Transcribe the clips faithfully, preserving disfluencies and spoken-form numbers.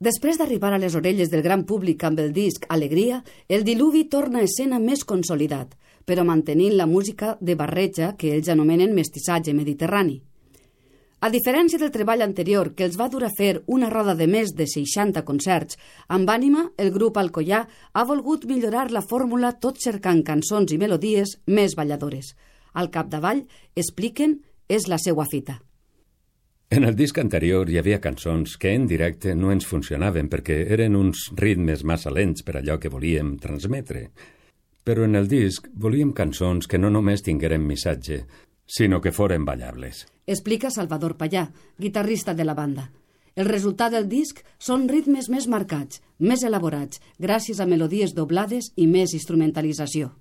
Després d'arribar a les orelles del gran públic amb el disc Alegria, el Diluvi torna a escena més consolidat, però mantenint la música de barreja que ells anomenen mestissatge mediterrani. A diferència del treball anterior, que els va dur a fer una roda de més de seixanta concerts, amb ànima, el grup Alcoià ha volgut millorar la fórmula tot cercant cançons i melodies més balladores. Al capdavall, expliquen, és la seua fita. En el disc anterior hi havia cançons que en directe no ens funcionaven perquè eren uns ritmes massa lents per allò que volíem transmetre. Però en el disc volíem cançons que no només tingueren missatge, sinó que foren ballables. Explica Salvador Pallà, guitarrista de la banda. El resultat del disc són ritmes més marcats, més elaborats, gràcies a melodies doblades i més instrumentalització.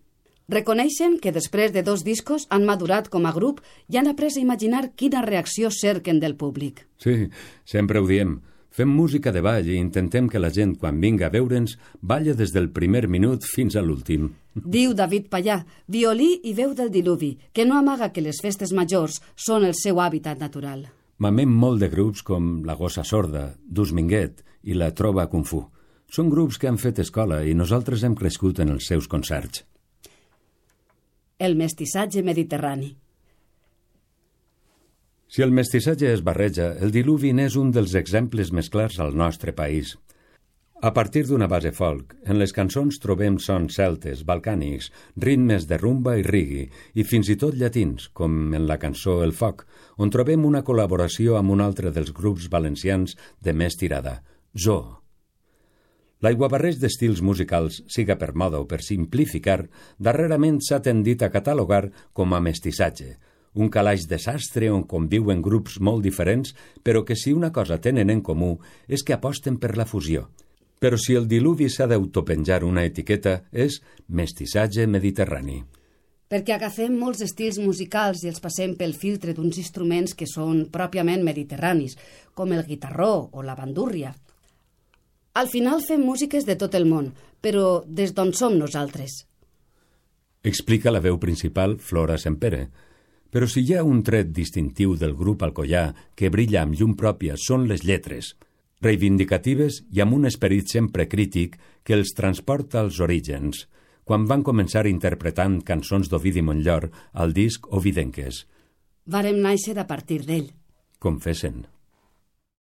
Reconeixen que després de dos discos han madurat com a grup i han après a imaginar quina reacció cerquen del públic. Sí, sempre ho diem. Fem música de ball i intentem que la gent, quan vinga a veure'ns, balla des del primer minut fins a l'últim. Diu David Pallà, violí i veu del Diluvi, que no amaga que les festes majors són el seu hàbitat natural. Mamem molt de grups com La Gossa Sorda, Dus Minguet i La Trova Kung Fu. Són grups que han fet escola i nosaltres hem crescut en els seus concerts. El mestissatge mediterrani. Si el mestissatge es barreja, el Diluvi n'és un dels exemples més clars al nostre país. A partir d'una base folk, en les cançons trobem sons celtes, balcànics, ritmes de rumba i reggae, i fins i tot llatins, com en la cançó El Foc, on trobem una col·laboració amb un altre dels grups valencians de més tirada, Zoo. L'aiguabarreig d'estils musicals, siga per moda o per simplificar, darrerament s'ha tendit a catalogar com a mestissatge, un calaix de sastre on conviuen grups molt diferents, però que si una cosa tenen en comú és que aposten per la fusió. Però si el Diluvi s'ha d'autopenjar una etiqueta, és mestissatge mediterrani. Perquè agafem molts estils musicals i els passem pel filtre d'uns instruments que són pròpiament mediterranis, com el guitarró o la bandúrria. Al final fem músiques de tot el món, però des d'on som nosaltres. Explica la veu principal Flora Sempere. Però si hi ha un tret distintiu del grup Alcoià que brilla amb llum pròpia són les lletres, reivindicatives i amb un esperit sempre crític que els transporta als orígens, quan van començar interpretant cançons d'Ovidi Montllor al disc Ovidenques. Vàrem nàixer a partir d'ell. Confessen.